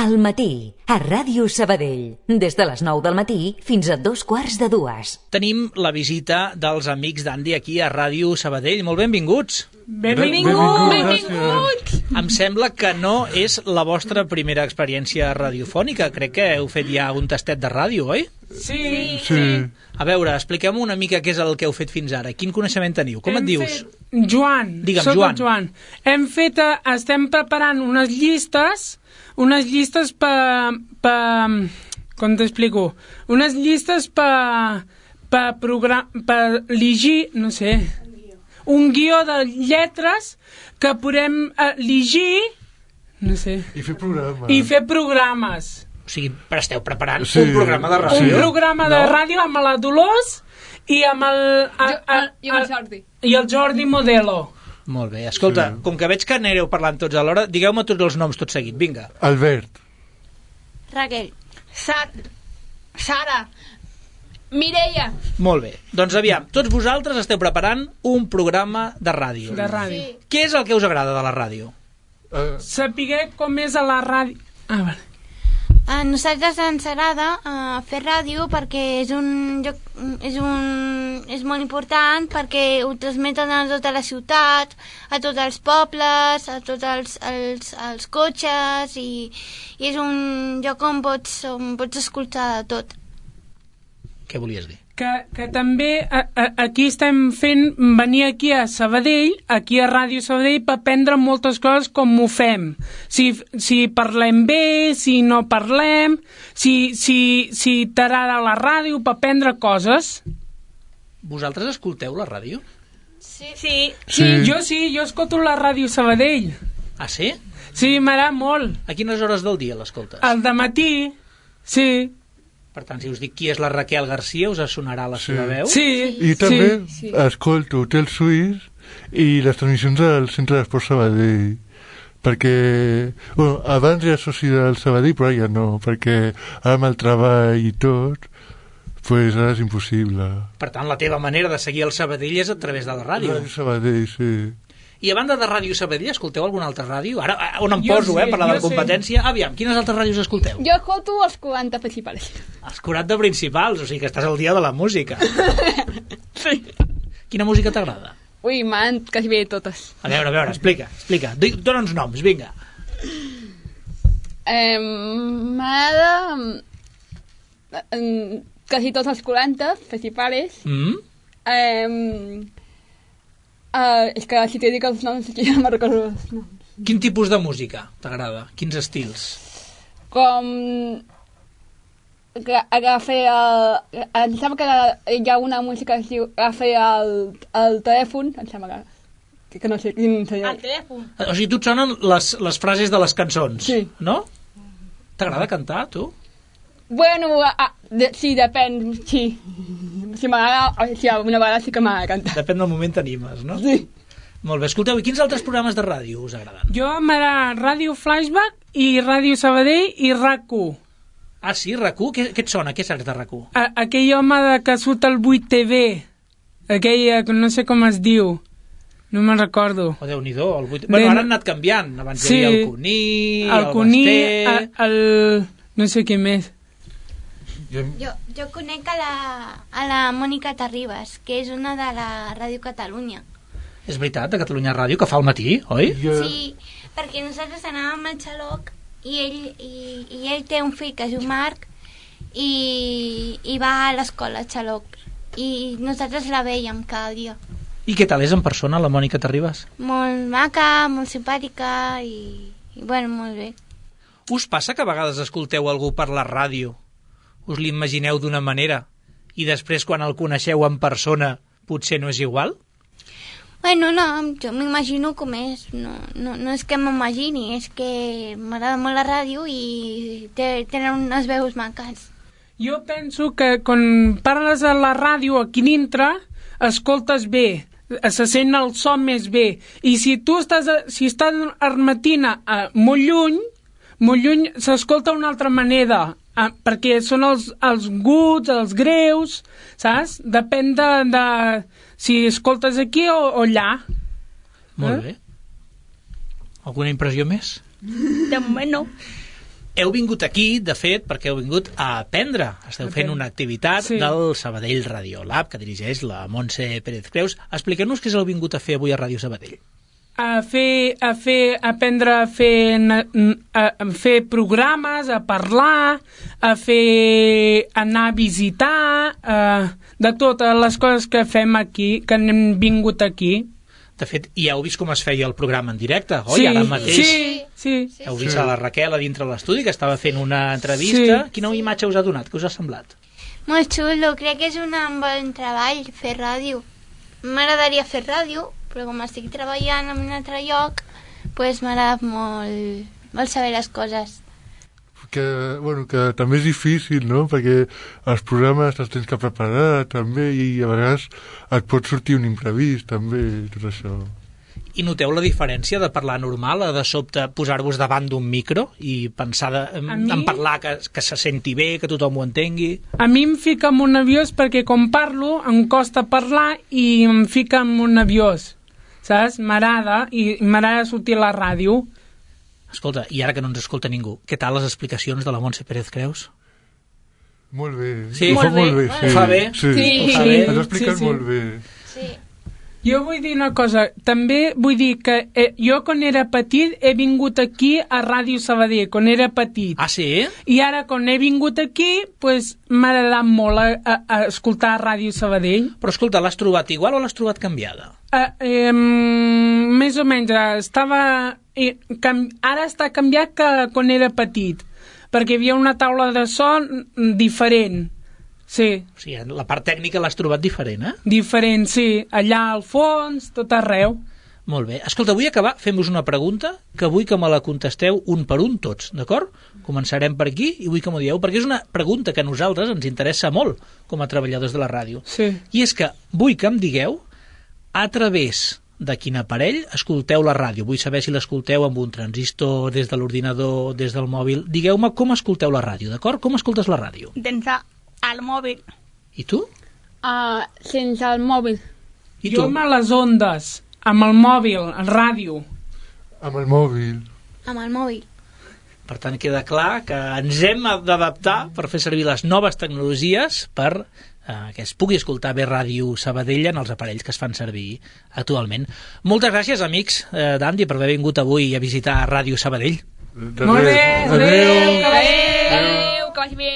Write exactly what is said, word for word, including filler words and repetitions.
Al matí, a Ràdio Sabadell. Des de les nou del matí fins a dos quarts de dues. Tenim la visita dels amics d'Andy aquí a Ràdio Sabadell. Molt benvinguts. Benvinguts. Benvinguts. Em sembla que no és la vostra primera experiència radiofònica. Crec que heu fet ja un tastet de ràdio, oi? Sí. Sí. A veure, expliqueu-me una mica què és el que heu fet fins ara. Quin coneixement teniu? Com Hem et dius? Fet... Joan. Digue'm, Soc Joan. el Joan. Hem fet, eh, estem preparant unes llistes, unes llistes per... per com t'explico? Unes llistes per... per, program, per llegir, no sé, un guió de lletres que podem eh, llegir, no sé, I fer programes. i fer programes. O sigui, però esteu preparant Sí. un programa de ràdio. Un programa de No? ràdio amb la Dolors i amb el... A, a, I amb el Jordi. I el Jordi Modelo. Molt bé. Escolta, Sí. com que veig que anireu parlant tots alhora, digueu-me tots els noms tot seguit. Vinga. Albert. Raquel. Sar Sara. Mireia. Molt bé. Doncs aviam, tots vosaltres esteu preparant un programa de ràdio. De ràdio. Sí. Què és el que us agrada de la ràdio? Uh, Sapiguer com és a la ràdio... Ah, vale. A nosaltres ens agrada uh, fer ràdio perquè és un lloc, és un és molt important perquè ho transmeten a tota la ciutat, a tots els pobles, a tots els, els, els cotxes i, i és un lloc on pots, on pots escoltar tot. Què volies dir? Que, que també a, a, aquí estem fent venir aquí a Sabadell, aquí a Ràdio Sabadell, per aprendre moltes coses com ho fem. Si, si parlem bé, si no parlem, si, si, si t'agrada la ràdio, per aprendre coses. Vosaltres escolteu la ràdio? Sí. Sí. Sí, jo sí, jo escolto la Ràdio Sabadell. Ah, sí? Sí, m'agrada molt. A quines hores del dia l'escoltes? Al dematí, sí. Per tant, si us dic qui és la Raquel Garcia, us sonarà la Sí. seva veu? Sí, I també sí. escolto Hotel Suís i les transmissions del Centre d'Esport Sabadell, perquè bueno, abans era soci del Sabadell, però ja no, perquè ara amb el treball i tot, pues ara és impossible. Per tant, la teva manera de seguir el Sabadell és a través de la ràdio. Ràdio Sabadell, sí. I a banda de Ràdio Sabadell, escolteu alguna altra ràdio? Ara, on em Jo poso, sí, eh, per la de jo sí. competència. Aviam, quines altres ràdios escolteu? Jo escolto els quaranta principals. Els quaranta principals, o sigui que estàs al dia de la música. Sí. Quina música t'agrada? Ui, m'han quasi bé totes. A veure, a veure, explica, explica. Di- Dóna'ns noms, vinga. Eh, M'agrada eh, quasi tots els quaranta principals. Mm? Eh, eh, és que si t'he dit els noms ja no me'n recordo els noms. Quin tipus de música t'agrada? Quins estils? Com que agafa el... Em sembla que hi ha una música que es diu agafa el, el telèfon, em sembla que, que no sé quin seria. Al telèfon. O sigui, tu et sonen les, les frases de les cançons, Sí. no? T'agrada cantar, tu? Bueno, a, a, de, sí, depèn, sí. Si m'agrada, sí, una vegada sí que m'agrada cantar. Depèn del moment t'animes, no? Sí. Molt bé, escolteu, i quins altres programes de ràdio us agraden? jo m'agrada Ràdio Flashback i Ràdio Sabadell i RAC u. Ah, sí, RAC u? Què, què et sona? Què saps de RAC u? A, aquell home de, que surt al vuit T V, aquell, eh, no sé com es diu, no me'n recordo. Oh, Déu-n'hi-do, el vuit... Bueno, ara han anat canviant. Abans Sí. hi havia el Cuní, El el, Cuní, Basté... el, el... no sé què més. Jo, Jo, jo conec a la, a la Mònica Terribas, que és una de la Ràdio Catalunya. És veritat, de Catalunya Ràdio, que fa el matí, oi? jo, Sí, perquè nosaltres anàvem al xaloc i ell, i, i ell té un fill que es diu Marc i, i va a l'escola al xaloc i nosaltres la veiem cada dia. I què tal és en persona, la Mònica Terribas? Molt maca, molt simpàtica i, i bueno, molt bé. Us passa que a vegades escolteu algú per la ràdio, us l'imagineu d'una manera, i després quan el coneixeu en persona potser no és igual? Bueno, no, jo m'imagino com és. No, no, no és que m'imagini, és que m'agrada molt la ràdio i té, tenen unes veus maques. Jo penso que quan parles a la ràdio aquí dintre, escoltes bé, se sent el so més bé. I si tu estàs, a, si estàs armatina a molt lluny, molt lluny s'escolta d'una altra manera, a, perquè són els, els guts, els greus, saps? Depèn de, de si escoltes aquí o, o allà. Molt Eh? bé. Alguna impressió més? De moment no. Heu vingut aquí, de fet, perquè heu vingut a aprendre. Esteu fent una activitat sí. del Sabadell Radio Lab, que dirigeix la Montse Pérez Creus. Expliqueu-nos què heu vingut a fer avui a Ràdio Sabadell. A fer, a fer, a aprendre a fer, a, a fer programes, a parlar, a fer, anar a visitar, a, de totes les coses que fem aquí, que hem vingut aquí. De fet, ja heu vist com es feia el programa en directe, oi? Sí, Ara mateix sí, sí. Heu vist sí. a la Raquel a dintre de l'estudi, que estava fent una entrevista. Sí. Quina imatge us ha donat? Què us ha semblat? Molt xulo, crec que és un bon treball fer ràdio. M'agradaria fer ràdio, però com estic treballant en un altre lloc, pues m'agrada molt, molt saber les coses. Que, bueno, que també és difícil, no? Perquè els programes els tens que preparar també i a vegades et pot sortir un imprevist també, tot això. I noteu la diferència de parlar normal a de sobte posar-vos davant d'un micro i pensar de, en, en parlar que, que se senti bé, que tothom ho entengui? A mi em fica molt nerviós perquè com parlo em costa parlar i em fica molt nerviós, saps? M'agrada i m'agrada sortir a la ràdio. Escolta, i ara que no ens escolta ningú, què tal les explicacions de la Montse Pérez Creus? Molt bé. Sí? Ho fa molt bé, sí. Ho fa bé? Sí, sí. Ho fa bé. Has explicat sí, sí. molt bé. Sí. Jo vull dir una cosa, també vull dir que eh, jo quan era petit he vingut aquí a Ràdio Sabadell, quan era petit. Ah, sí? I ara quan he vingut aquí, pues, m'ha agradat molt a, a, a escoltar Ràdio Sabadell. Però escolta, l'has trobat igual o l'has trobat canviada? Uh, eh, més o menys, estava... Eh, cam, ara està canviat que quan era petit, perquè hi havia una taula de so diferent. Sí. O sigui, la part tècnica l'has trobat diferent, eh? Diferent, sí. Allà al fons, tot arreu. Molt bé. Escolta, vull acabar fent-vos una pregunta que vull que me la contesteu un per un tots, d'acord? Començarem per aquí i vull que m'ho dieu, perquè és una pregunta que a nosaltres ens interessa molt com a treballadors de la ràdio. Sí. I és que vull que em digueu a través de quin aparell escolteu la ràdio. Vull saber si l'escolteu amb un transistor, des de l'ordinador, des del mòbil. Digueu-me com escolteu la ràdio, d'acord? Com escoltes la ràdio? Sense el mòbil. I tu? Uh, sense el mòbil. I jo tu? amb les ondes, amb el mòbil, el ràdio. Amb el mòbil. Amb el mòbil. Per tant, queda clar que ens hem d'adaptar per fer servir les noves tecnologies per eh, que es pugui escoltar bé Ràdio Sabadell en els aparells que es fan servir actualment. Moltes gràcies, amics eh, d'Andy, per haver vingut avui a visitar Ràdio Sabadell. Molt bé, adéu, Adéu, que vagi bé.